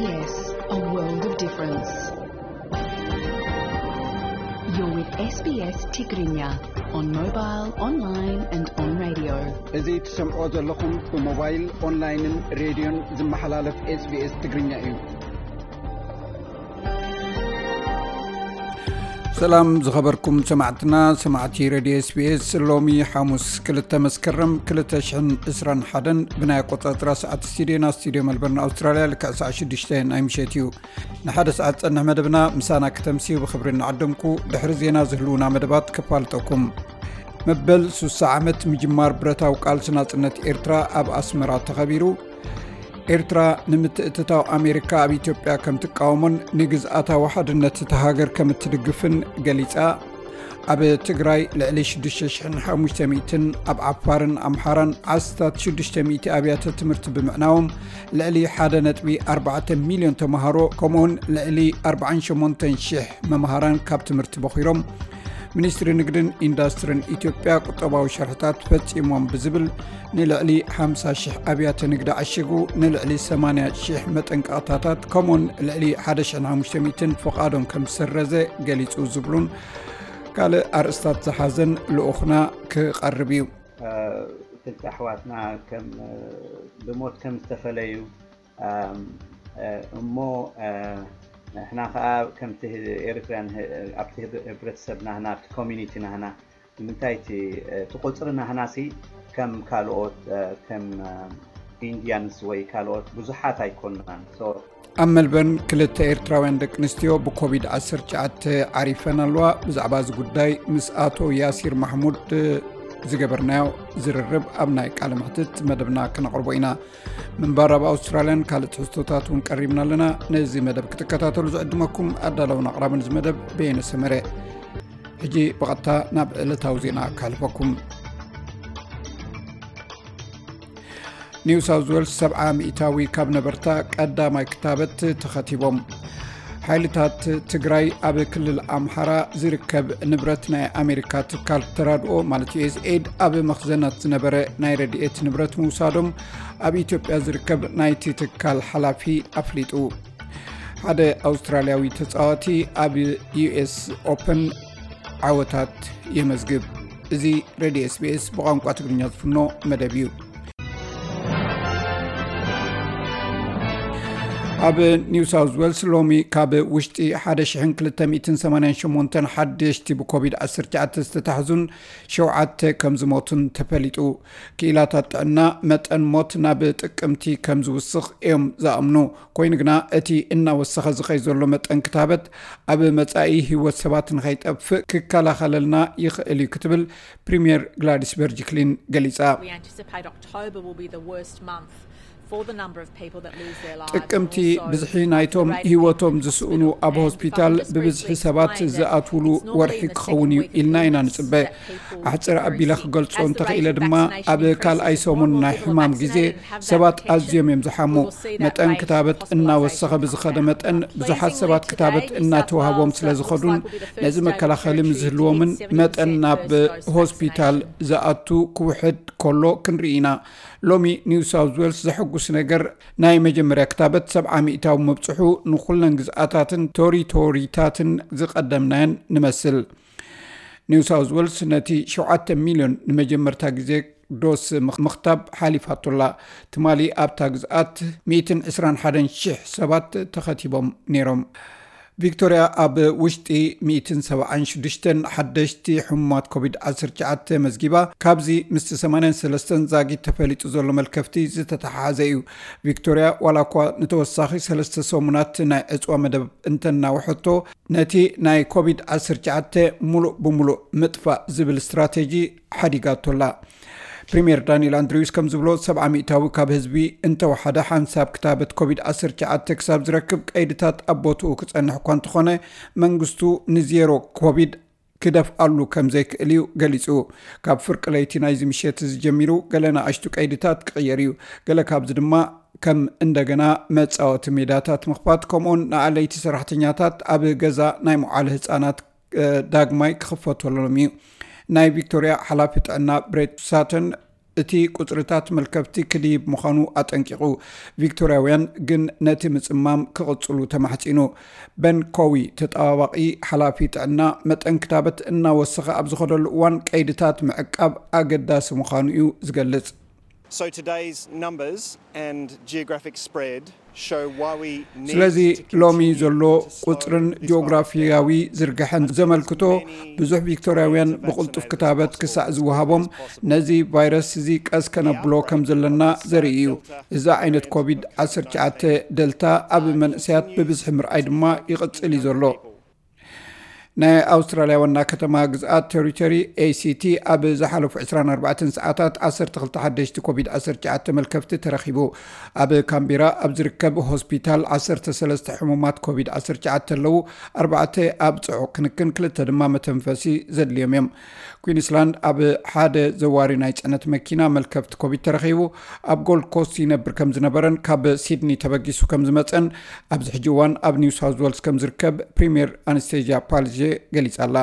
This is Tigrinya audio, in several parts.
Yes, a world of difference. You're with S B S Tigrinya on mobile, online and on radio. እዚ ትሰምዖ ዘለኹም ብሞባይል፣ ኦንላይንን ሬድዮን ዝመሓላለፍ SBS ትግርኛ እዩ። ሰላም ዝኸበርኩም ሰማዕትና፣ ሰማዕቲ ሬድዮ SBS። ሎሚ ሓሙስ ክልተ መስከረም ክልተ ሽሕን ዕስራን ሓደን ብናይ ኣቆጻጽራ ሰዓት ስቱድዮና፣ ስቱድዮ መልበርን ኣውስትራልያ፣ ልክዕ ሰዓት ሽዱሽተ ናይ ምሸት እዩ። ንሓደ ሰዓት ጸንሕ መደብና ምሳና ክተምስዩ ብኽብሪ እናዓደምኩ፣ ድሕሪ ዜና ዝህልዉና መደባት ከፋልጠኩም። መበል ሱሳ ዓመት ምጅማር ብረታዊ ቃልሲ ናጽነት ኤርትራ ኣብ ኣስመራ ተኸቢሩ። ኤርትራ ንምትእትታው ኣሜሪካ ኣብ ኢትዮጵያ ከም ትቃወሞን ንግዝኣታዊ ሓድነት እታ ሃገር ከም እትድግፍን ገሊጻ። ኣብ ትግራይ ልዕሊ ሽዱሽተ ሽሕን ሓሙሽተ ሚእትን፣ ኣብ ዓፋርን ኣምሓራን ዓስታት ሽዱሽተ ሚእቲ ኣብያተ ትምህርቲ ብምዕናዎም ልዕሊ ሓደ ነጥቢ ኣርባዕተ ሚልዮን ተምሃሮ፣ ከምኡውን ልዕሊ ኣርባዓን ሸሞንተን ሽሕ መምሃራን ካብ ትምህርቲ በኺሮም። ሚኒስትሪ ንግድን ኢንዳስትርን ኢትዮጵያ ቁጠባዊ ሸርሕታት ፈጺሞም ብዝብል ንልዕሊ ሓምሳ ሽሕ ኣብያተ ንግዲ ዓሺጉ፣ ንልዕሊ ሰማንያ ሽሕ መጠንቀቕታታት ከምኡውን ልዕሊ ሓደ ሽሕን ሓሙሽተ ሚእትን ፍቓዶም ከም ዝሰረዘ ገሊጹ ዝብሉን ካልእ ኣርእስታት ዝሓዘን ልኡኽና ክቐርብ እዩ። ክልተ ኣሕዋትና ከም ብሞት ከም ዝተፈለዩ፣ እሞ ንሕና ከዓ ከምቲ ኤሪትርያን ኣብቲ ህብረተሰብ ናህና፣ ኣብቲ ኮሚኒቲ ናህና፣ ንምንታይ እቲ እቲ ቁፅሪ ናህናሲ ከም ካልኦት ከም ኢንዲያንስ ወይ ካልኦት ብዙሓት ኣይኮናን። ኣብ መልበርን ክልተ ኤርትራውያን ደቂ ኣንስትዮ ብኮቪድ ዓሰርተ ትሽዓተ ዓሪፈን ኣለዋ። ብዛዕባ እዚ ጉዳይ ምስ ኣቶ ያሲር ማሕሙድ ዝገበርናዮ ዝርርብ ኣብ ናይ ቃለ መሕትት መደብና ክነቕርቦ ኢና። ምንባር ኣብ ኣውስትራልያን ካልእ ትሕዝቶታት እውን ቀሪብና ኣለና። ነዚ መደብ ክትከታተሉ ዝዕድመኩም ኣዳለውን ኣቕራብን እዚ መደብ በየነ ሰመረ። ሕጂ ብቐጥታ ናብ ዕለታዊ ዜና ካልፈኩም። ኒው ሳውዝ ዌልስ ሰብዓ ሚእታዊ ካብ ነበርታ ቀዳማይ ክታበት ተኸቲቦም። ሓይልታት ትግራይ ኣብ ክልል ኣምሓራ ዝርከብ ንብረት ናይ ኣሜሪካ ትካል ተራድኦ ማለት ዩ ኤስ ኤድ ኣብ መኽዘናት ዝነበረ ናይ ረድኤት ንብረት ምውሳዶም ኣብ ኢትዮጵያ ዝርከብ ናይቲ ትካል ሓላፊ ኣፍሊጡ። ሓደ ኣውስትራልያዊ ተጻዋቲ ኣብ ዩ ኤስ ኦፐን ዓወታት የመዝግብ። እዚ ሬድዮ ኤስ ቢ ኤስ ብቋንቋ ትግርኛ ዝፍኖ መደብ እዩ። ኣብ ኒው ሳውዝ ዌልስ ሎሚ ካብ ውሽጢ ሓደ ሽሕን ክልተ ሚእትን ሰማንያን ሸሞንተን ሓደሽቲ ብኮቪድ ዓሰርተ ትሽዓተ ዝተታሕዙን ሸውዓተ ከም ዝሞቱን ተፈሊጡ። ክኢላታት ጥዕና መጠን ሞት ናብ ጥቅምቲ ከም ዝውስኽ እዮም ዝኣምኑ። ኮይኑ ግና እቲ እናወሰኸ ዝኸይ ዘሎ መጠን ክታበት ኣብ መጻኢ ህይወት ሰባት ንኸይጠፍእ ክከላኸለልና ይኽእል እዩ ክትብል ፕሪምየር ግላዲስ በርጅክሊን ገሊጻ። We anticipate October will be the worst month for the number of people that lose their lives. ጥቅምቲ ብዝሒ ናይቶም ህይወቶም ዝስእኑ ኣብ ሆስፒታል ብብዝሒ ሰባት ዝኣትውሉ ወርሒ ክኸውን እዩ ኢልና ኢና ንጽበ። ኣሕጽር ኣቢለ ክገልጾ እንተኽኢለ ድማ ኣብ ካልኣይ ሰሙን ናይ ሕማም ግዜ ሰባት ኣዝዮም እዮም ዝሓሙ። መጠን ክታበት እናወሰኸ ብዝኸደ መጠን ብዙሓት ሰባት ክታበት እናተዋህቦም ስለ ዝኸዱን ነዚ መከላኸሊ ምዝህልዎምን መጠን ናብ ሆስፒታል ዝኣቱ ክውሕድ ከሎ ክንርኢ ኢና። ሎሚ ኒው ሳውዝ ዌልስ ዘሐጉስ ነገር ናይ መጀመርያ ክታበት ሰብዓ ሚእታዊ ምብጽሑ ንኹለን ግዝኣታትን ቶሪቶሪታትን ዝቐደምናየን ንመስል። ኒው ሳውዝ ዌልስ ነቲ ሸውዓተ ሚልዮን ንመጀመርታ ግዜ ዶስ ምኽ-፣ ምኽታብ ሓሊፋቶላ። ትማሊ ኣብታ ግዝኣት ሚእትን ዕስራን ሓደን ሽሕ ሰባት ተኸቲቦም ነይሮም። ቪክቶርያ ኣብ ውሽጢ ሚእትን ሰብዓን ሽዱሽተን ሓደሽቲ ሕሙማት ኮቪድ ዓሰርተ ትሽዓተ መዝጊባ፣ ካብዚ ምስቲ ሰማንያን ሰለስተን ዛጊት ተፈሊጡ ዘሎ መልከፍቲ ዝተተሓሓዘ እዩ። ቪክቶርያ ዋላ እኳ ንተወሳኺ ሰለስተ ሰሙናት ናይ ዕጽዋ መደብ እንተናውሐቶ፣ ነቲ ናይ ኮቪድ ዓሰርተ ትሽዓተ ሙሉእ ብሙሉእ ምጥፋእ ዝብል ስትራቴጂ ሓዲጋቶላ። ፕሪምየር ዳንኤል ኣንድሪውስ ከም ዝብሎ፣ ሰብዓ ሚእታዊ ካብ ህዝቢ እንተወሓደ ሓንሳብ ክታበት ኮቪድ ዓሰርተ ትሽዓተ ክሳብ ዝረክብ ቀይድታት ኣብ ቦትኡ ክጸንሕ እኳ እንተኾነ፣ መንግስቱ ንዜሮ ኮቪድ ክደፍኣሉ ከም ዘይክእል እዩ ገሊጹ። ካብ ፍርቂ ለይቲ ናይዚ ምሸት እዚ ጀሚሩ ገለ ንኣሽቱ ቀይድታት ክቕየር እዩ። ገለ ካብዚ ድማ ከም እንደገና መጻወቲ ሜዳታት ምኽፋት፣ ከምኡውን ንኣለይቲ ሰራሕተኛታት ኣብ ገዛ ናይ መውዓሊ ህጻናት፣ እ፣ ዳግማይ ክኽፈተሎም እዩ። ናይ ቪክቶርያ ሓላፊ ጥዕና ብሬት ሳተን እቲ ቁጽርታት መልከፍቲ ክድይብ ምዃኑ ኣጠንቂቑ። ቪክቶርያውያን ግን ነቲ ምጽማም ክቕጽሉ ተማሕጺኑ። በን ኮዊ፣ ተጠባባቒ ሓላፊ ጥዕና፣ መጠን ክታበት እናወሰኸ ኣብ ዝኸደሉ እዋን ቀይድታት ምዕቃብ ኣገዳሲ ምዃኑ እዩ ዝገልጽ። So today's numbers and geographic spread show why we need ስለዚ to ሎሚ continue ዘሎ to slow ቁጽርን this virus ጂኦግራፊያዊ down. ዝርግሐን ዘመልክቶ፣ ብዙሕ ቪክቶርያውያን ብቕልጡፍ ክታበት ክሳዕ ዝወሃቦም ነዚ ቫይረስ እዚ ቀስ ከነብሎ ከም ዘለና ዘርኢ እዩ። እዚ ዓይነት ኮቪድ ዓሰርተ ትሽዓተ ደልታ ኣብ መንእሰያት ብብዝሒ ምርኣይ ድማ ይቕጽል እዩ ዘሎ። ናይ ኣውስትራልያ ዋና ከተማ ግዝኣት ቴሪቶሪ፣ ኤሲቲ፣ ኣብ ዝሓለፉ ዕስራን ኣርባዕተን ሰዓታት ዓሰርተ ክልተ ሓደሽቲ ኮቪድ ዓሰርተ ትሽዓተ መልከፍቲ ተረኺቡ። ኣብ ካምቤራ ኣብ ዝርከብ ሆስፒታል ዓሰርተ ሰለስተ ሕሙማት ኮቪድ ዓሰርተ ትሽዓተ ኣለዉ። ኣርባዕተ ኣብ ጽዑቕ ክንክን፣ ክልተ ድማ መተንፈሲ ዘድልዮም እዮም። ኩዊንስላንድ ኣብ ሓደ ዘዋሪ ናይ ጽዕነት መኪና መልከፍቲ ኮቪድ ተረኺቡ። ኣብ ጎልድ ኮስት ይነብር ከም ዝነበረን ካብ ሲድኒ ተበጊሱ ከም ዝመጸን ኣብዚ ሕጂ እዋን ኣብ ኒው ሳውዝ ዌልስ ከም ዝርከብ ፕሪምየር ኣነስቴዥያ ፓልጄ ገሊጻ ኣላ።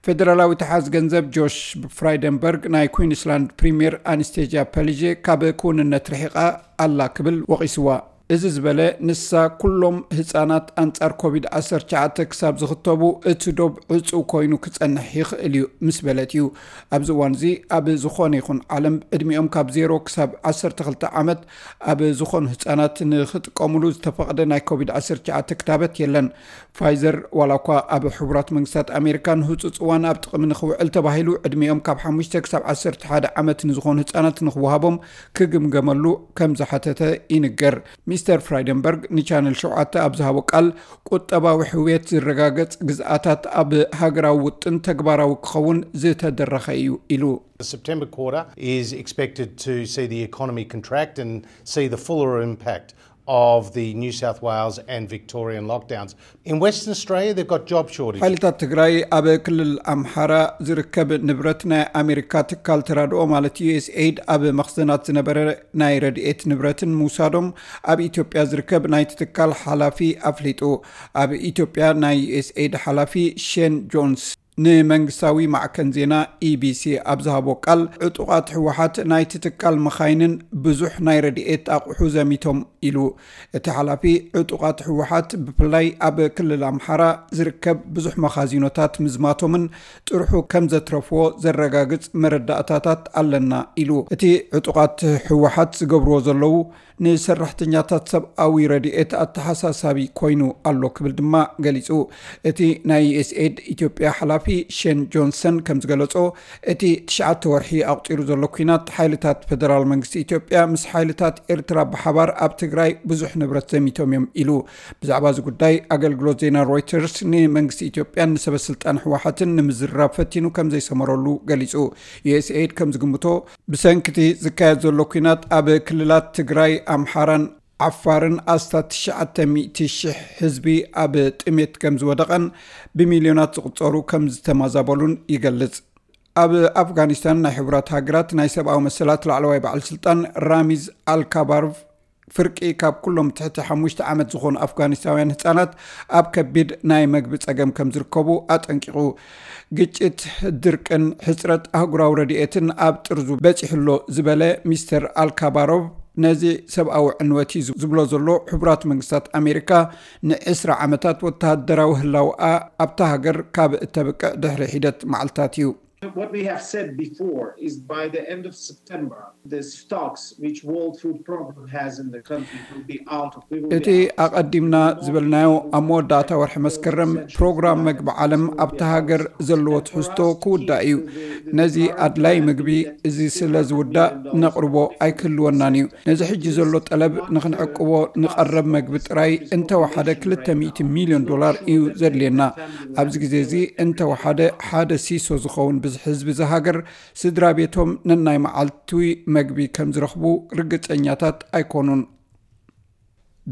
ፌደራላዊ ተሓዝ ገንዘብ ጆሽ ፍራይደንበርግ ናይ ኩዊንስላንድ ፕሪምየር ኣነስቴዥያ ፓልጄ ካብ ክውንነት ርሒቓ ኣላ ክብል ወቒስዋ። እዚ ዝበለ ንሳ ኩሎም ህጻናት ኣንጻር ኮቪድ ዓሰርተ ትሽዓተ ክሳብ ዝኽተቡ እቲ ዶብ ዕጹው ኮይኑ ክጸንሕ ይኽእል እዩ ምስ በለት እዩ። ኣብዚ እዋን እዚ ኣብ ዝኾነ ይኹን ዓለም ዕድሚኦም ካብ ዜሮ ክሳብ ዓሰርተ ክልተ ዓመት ኣብ ዝኾኑ ህጻናት ንኽጥቀሙሉ ዝተፈቕደ ናይ ኮቪድ ዓሰርተ ትሽዓተ ክታበት የለን። ፋይዘር ዋላ እኳ ኣብ ሕቡራት መንግስታት ኣሜሪካ ንህጹጽ እዋን ኣብ ጥቕሚ ንኽውዕል ተባሂሉ ዕድሚኦም ካብ ሓሙሽተ ክሳብ ዓሰርተ ሓደ ዓመት ንዝኾኑ ህጻናት ንኽወሃቦም ክግምገመሉ ከም ዝሓተተ ይንገር። ሚስተር ፍራይደንበርግ ንቻነል ሸውዓተ ኣብ ዝሃቦ ቃል፣ ቁጠባዊ ሕውየት ዝረጋገጽ ግዝኣታት ኣብ ሃገራዊ ውጥን ተግባራዊ ክኸውን ዝተደረኸ እዩ ኢሉ። The September quarter is expected to see the economy contract and see the fuller impact of the New South Wales and Victorian lockdowns. In Western Australia, they've got job shortages. ሓይልታት ትግራይ ኣብ ክልል ኣምሓራ ዝርከብ ንብረት ናይ ኣሜሪካ ትካል ተራድኦ ማለት ዩኤስኤይድ ኣብ መኽዘናት ዝነበረ ናይ ረድኤት ንብረትን ምውሳዶም ኣብ ኢትዮጵያ ዝርከብ ናይቲ ትካል ሓላፊ ኣፍሊጡ። ኣብ ኢትዮጵያ ናይ ዩኤስኤይድ ሓላፊ ሼን ጆንስ ንመንግስታዊ ማዕከን ዜና ኢቢሲ ኣብ ዝሃቦ ቃል፣ ዕጡቓት ህወሓት ናይቲ ትካል መኻይንን ብዙሕ ናይ ረድኤት ኣቑሑ ዘሚቶም ኢሉ። እቲ ሓላፊ፣ ዕጡቓት ህወሓት ብፍላይ ኣብ ክልል ኣምሓራ ዝርከብ ብዙሕ መኻዚኖታት ምዝማቶምን ጥርሑ ከም ዘትረፍዎ ዘረጋግጽ መረዳእታታት ኣለና ኢሉ። እቲ ዕጡቓት ህወሓት ዝገብርዎ ዘለዉ ንሰራሕተኛታት ሰብኣዊ ረድኤት ኣተሓሳሳቢ ኮይኑ ኣሎ ክብል ድማ ገሊጹ። እቲ ናይ ዩኤስኤድ ኢትዮጵያ ሓላፊ ሼን ጆንሰን ከም ዝገለጾ፣ እቲ ትሽዓተ ወርሒ ኣቑጺሩ ዘሎ ኲናት፣ ሓይልታት ፈደራል መንግስቲ ኢትዮጵያ ምስ ሓይልታት ኤርትራ ብሓባር ኣብ ትግራይ ብዙሕ ንብረት ዘሚቶም እዮም ኢሉ። ብዛዕባ እዚ ጉዳይ ኣገልግሎት ዜና ሮይተርስ ንመንግስቲ ኢትዮጵያን ንሰበ ስልጣን ህወሓትን ንምዝራብ ፈቲኑ ከም ዘይሰመረሉ ገሊጹ። ዩኤስኤድ ከም ዝግምቶ፣ ብሰንኪ እቲ ዝካየድ ዘሎ ኲናት ኣብ ክልላት ትግራይ፣ ኣምሓራን ዓፋርን ኣስታት ትሽዓተ ሚእቲ ሽሕ ህዝቢ ኣብ ጥሜት ከም ዝወደቐን ብሚልዮናት ዝቑጸሩ ከም ዝተማዛበሉን ይገልጽ። ኣብ ኣፍጋኒስታን ናይ ሕቡራት ሃገራት ናይ ሰብኣዊ መሰላት ላዕለዋይ በዓል ስልጣን ራሚዝ ኣልካባሮቭ፣ ፍርቂ ካብ ኩሎም ትሕቲ ሓሙሽተ ዓመት ዝኾኑ ኣፍጋኒስታውያን ህጻናት ኣብ ከቢድ ናይ መግቢ ጸገም ከም ዝርከቡ ኣጠንቂቑ። ግጭት፣ ድርቅን ሕጽረት ኣህጉራዊ ረድኤትን ኣብ ጥርዙ በጺሑ ኣሎ ዝበለ ሚስተር ኣልካባሮቭ፣ ነዚ ሰብኣዊ ዕንወት እዩ ዝብሎ ዘሎ ሕቡራት መንግስታት ኣሜሪካ ንዕስራ ዓመታት ወተሃደራዊ ህላውኣ ኣብታ ሃገር ካብ እተብቅዕ ድሕሪ ሒደት መዓልታት እዩ። What we have said before is by the end of September, the stocks which World Food Program has in the country will be out of. We will እቲ be out. ኣቐዲምና ዝበልናዮ፣ ኣብ መወዳእታ ወርሒ መስከረም ፕሮግራም መግቢ ዓለም ኣብታ ሃገር ዘለዎ ትሕዝቶ ክውዳእ እዩ። ነዚ ኣድላይ ምግቢ እዚ ስለ ዝውዳእ ነቕርቦ ኣይክህልወናን እዩ። ነዚ ሕጂ ዘሎ ጠለብ ንኽንዕቅቦ ንቐረብ መግቢ ጥራይ እንተወሓደ ክልተ ሚእቲ ሚልዮን ዶላር እዩ ዘድልየና። ኣብዚ ግዜ እዚ እንተወሓደ ሓደ ሲሶ ዝኸውን ብዝሒ ህዝቢ እዚ ሃገር ስድራ ቤቶም ነናይ መዓልቲ መግቢ ከም ዝረኽቡ ርግጸኛታት ኣይኮኑን።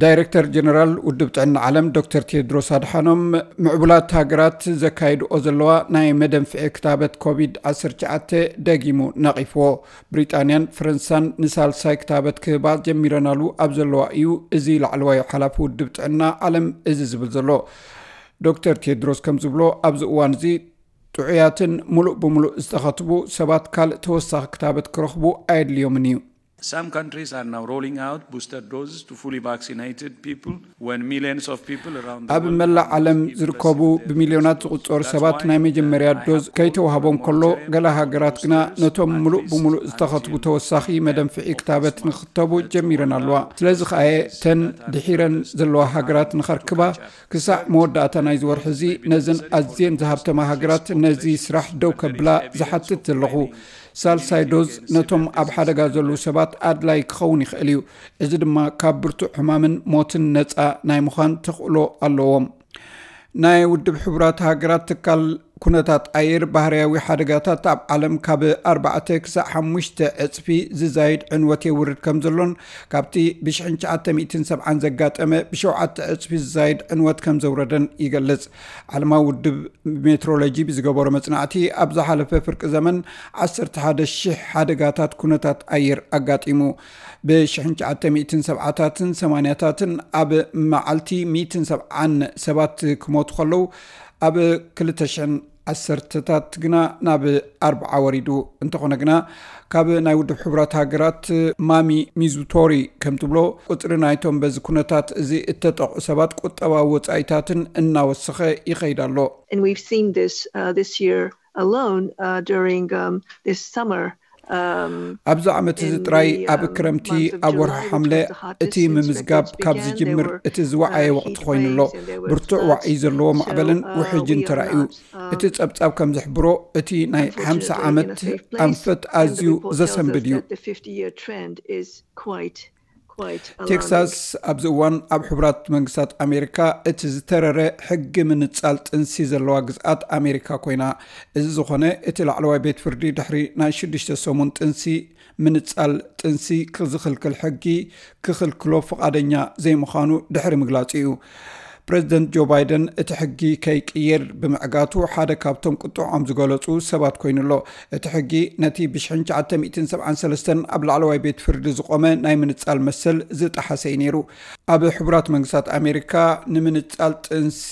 ዳይሬክተር ጀነራል ውድብ ጥዕና ዓለም ዶክተር ቴድሮስ ኣድሓኖም፣ ምዕቡላት ሃገራት ዘካይድኦ ዘለዋ ናይ መደንፍዒ ክታበት ኮቪድ ዓሰርተ ትሽዓተ ደጊሙ ነቒፍዎ። ብሪጣንያን ፈረንሳን ንሳልሳይ ክታበት ክህባ ጀሚረናሉ ኣብ ዘለዋ እዩ እዚ ላዕለዋይ ሓላፊ ውድብ ጥዕና ዓለም እዚ ዝብል ዘሎ። ዶክተር ቴድሮስ ከም ዝብሎ፣ ኣብዚ እዋን እዚ ጥዑያትን ምሉእ ብምሉእ ዝተኸትቡ ሰባት ካልእ ተወሳኺ ክታበት ክረኽቡ ኣየድልዮምን እዩ። Some countries are now rolling out booster doses to fully vaccinated people when millions of people around the ኣብ world መላእ have ዓለም not yet ዝርከቡ received their ቢልዮናት booster dose. ዝቑጸሩ That's ሰባት why, ናይ uh, መጀመርያ I ዶዝ have ከይተዋህቦም called ከሎ፣ upon volunteers ገለ ሃገራት and ግና countries ነቶም to ምሉእ at ብምሉእ least ዝተኸትቡ until ተወሳኺ መደንፍዒ ክታበት ንኽተቡ ጀሚረን ኣለዋ። ስለዚ ከኣ እተን ድሒረን ዘለዋ ሃገራት ንኸርክባ፣ ክሳዕ መወዳእታ ናይዚ ወርሒ እዚ ነዘን ኣዝየን ዝሃብተማ ሃገራት ነዚ ስራሕ ደው ከብላ ዝሓትት ዘለኹ። ሳልሳይ ዶዝ ነቶም ኣብ ሓደጋ ዘለዉ ሰባት ኣድላይ ክኸውን ይኽእል እዩ። እዚ ድማ ካብ ብርቱዕ ሕማምን ሞትን ነጻ ናይ ምዃን ተኽእሎ ኣለዎም። ናይ ውድብ ሕቡራት ሃገራት ትካል ኩነታት ኣየር፣ ባህርያዊ ሓደጋታት ኣብ ዓለም ካብ ኣርባዕተ ክሳዕ ሓሙሽተ ዕጽፊ ዝዛይድ ዕንወት የውርድ ከም ዘሎን፣ ካብቲ ብሽሕን ትሽዓተ ሚእትን ሰብዓን ዘጋጠመ ብሸውዓተ ዕጽፊ ዝዛይድ ዕንወት ከም ዘውረደን ይገልጽ። ዓለማዊ ውድብ ሜትሮሎጂ ብዝገበሮ መጽናዕቲ፣ ኣብ ዝሓለፈ ፍርቂ ዘመን ዓሰርተ ሓደ ሺሕ ሓደጋታት ኩነታት ኣየር ኣጋጢሙ። ብሽሕን ትሽዓተ ሚእትን ሰብዓታትን ሰማንያታትን ኣብ መዓልቲ ሚእትን ሰብዓን ሰባት ክሞቱ ከለዉ፣ ኣብ ክልተ ሽሕን ዓሰርተታት ግና ናብ ኣርብዓ ወሪዱ። እንተኾነ ግና፣ ካብ ናይ ውድብ ሕቡራት ሃገራት ማሚ ሚዙቶሪ ከም ትብሎ፣ ቁጽሪ ናይቶም በዚ ኩነታት እዚ እተጠቕዑ ሰባት ቁጠባዊ ወጻኢታትን እናወሰኸ ይኸይድ ኣሎ። And we've seen this uh, this year alone uh, during um, this summer. Um, ኣብዚ ዓመት እዚ ጥራይ ኣብ ክረምቲ ኣብ ወርሒ ሓምለ እቲ ምምዝጋብ ካብ ዝጅምር እቲ ዝወዓየ ወቕቲ ኮይኑ ኣሎ። ብርቱዕ ዋዒ ዘለዎ ማዕበልን ውሕጅን ተራእዩ። እቲ ጸብጻብ ከም ዝሕብሮ፣ እቲ ናይ ሓምሳ ዓመት ኣንፈት ኣዝዩ ዘሰንብድ እዩ። ቴክሳስ ኣብዚ እዋን ኣብ ሕቡራት መንግስታት ኣሜሪካ እቲ ዝተረረ ሕጊ ምንጻል ጥንሲ ዘለዋ ግዝኣት ኣሜሪካ ኮይና። እዚ ዝኾነ፣ እቲ ላዕለዋይ ቤት ፍርዲ ድሕሪ ናይ ሽዱሽተ ሰሙን ጥንሲ ምንጻል ጥንሲ ክዝኽልክል ሕጊ ክኽልክሎ ፍቓደኛ ዘይምዃኑ ድሕሪ ምግላጹ እዩ። ፕሬዚደንት ጆ ባይደን እቲ ሕጊ ከይቅየር ብምዕጋቱ ሓደ ካብቶም ቁጥዖም ዝገለጹ ሰባት ኮይኑ ኣሎ። እቲ ሕጊ ነቲ ብሽሕን ትሽዓተ ሚእትን ሰብዓን ሰለስተን ኣብ ላዕለዋይ ቤት ፍርዲ ዝቖመ ናይ ምንጻል መሰል ዝጠሓሰ እዩ ነይሩ። ኣብ ሕቡራት መንግስታት ኣሜሪካ ንምንጻል ጥንሲ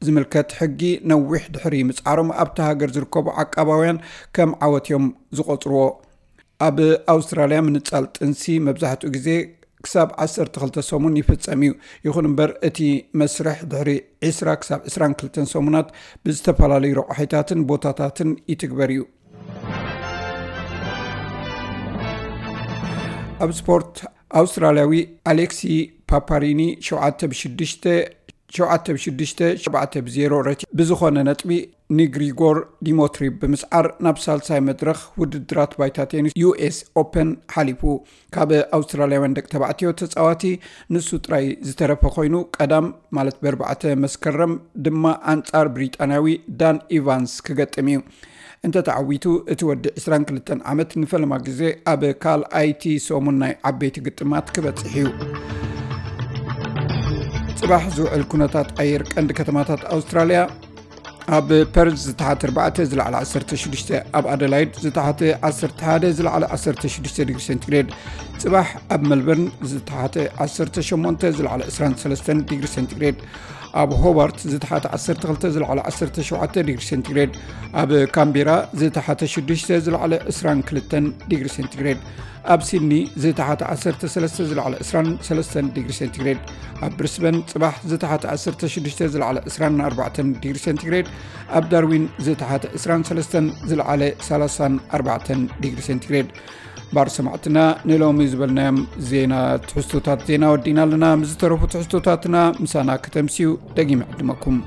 ዝምልከት ሕጊ ነዊሕ ድሕሪ ምጽዓሮም ኣብቲ ሃገር ዝርከቡ ዓቃባውያን ከም ዓወት እዮም ዝቖጽርዎ። ኣብ ኣውስትራልያ ምንጻል ጥንሲ መብዛሕትኡ ግዜ ክሳብ ዓሰርተ ክልተ ሰሙን ይፍጸም እዩ። ይኹን እምበር፣ እቲ መስርሕ ድሕሪ ዕስራ ክሳብ ዕስራን ክልተን ሰሙናት ብዝተፈላለዩ ረቋሒታትን ቦታታትን ይትግበር እዩ። ኣብ ስፖርት፣ ኣውስትራልያዊ ኣሌክሲ ፓፓሪኒ ሸውዓተ ብሽዱሽተ፣ ሸውዓተ ብሽዱሽተ፣ ሸውዓተ ብዜሮ ረቲ ብዝኾነ ነጥቢ ንግሪጎር ዲሞትሪ ብምስዓር ናብ ሳልሳይ መድረኽ ውድድራት ባይታ ቴኒስ ዩ ኤስ ኦፐን ሓሊፉ። ካብ ኣውስትራልያውያን ደቂ ተባዕትዮ ተጻዋቲ ንሱ ጥራይ ዝተረፈ ኮይኑ፣ ቀዳም ማለት ብኣርባዕተ መስከረም ድማ ኣንጻር ብሪጣንያዊ ዳን ኢቫንስ ክገጥም እዩ። እንተተዓዊቱ፣ እቲ ወዲ ዕስራን ክልተን ዓመት ንፈለማ ግዜ ኣብ ካልኣይቲ ሰሙን ናይ ዓበይቲ ግጥማት ክበጽሕ እዩ። ጽባሕ ዝውዕል ኩነታት ኣየር ቀንዲ ከተማታት ኣውስትራልያ። ኣብ ፐርዝ ዝተሓተ ኣርባዕተ፣ ዝለዓለ ዓሰርተ ሽዱሽተ፣ ኣብ ኣደላይድ ዝተሓተ ዓሰርተ ሓደ፣ ዝለዓለ ዓሰርተ ሽዱሽተ ዲግሪ ሴንቲግሬድ። ጽባሕ ኣብ መልበርን ዝተሓተ ዓሰርተ ሸሞንተ፣ ዝለዓለ ዕስራን ሰለስተን ዲግሪ ሴንቲግሬድ። ኣብ ሆባርት ዝተሓተ ዓሰርተ ክልተ፣ ዝለዓለ ዓሰርተ ሸውዓተ ዲግሪ ሴንቲግሬድ። ኣብ ካምቤራ ዝተሓተ ሽዱሽተ፣ ዝለዓለ ዕስራን ክልተን ዲግሪ ሴንቲግሬድ። ኣብ ሲድኒ ዝተሓተ ዓሰርተ ሰለስተ፣ ዝለዓለ ዕስራን ሰለስተን ዲግሪ ሴንቲግሬድ። ኣብ ብሪስበን ጽባሕ ዝተሓተ ዓሰርተ ሽዱሽተ፣ ዝለዓለ ዕስራን ኣርባዕተን ዲግሪ ሴንቲግሬድ። ኣብ ዳርዊን ዝተሓተ ዕስራን ሰለስተን፣ ዝለዓለ ሰላሳን ኣርባዕተን ዲግሪ ሴንቲግሬድ። ባር ሰማዕትና፣ ንሎሚ ዝበልናዮም ዜና፣ ትሕዝቶታት ዜና ወዲና ኣለና። ምስ ዝተረፉ ትሕዝቶታትና ምሳና ከተምስዩ ደጊመ ዕድመኩም።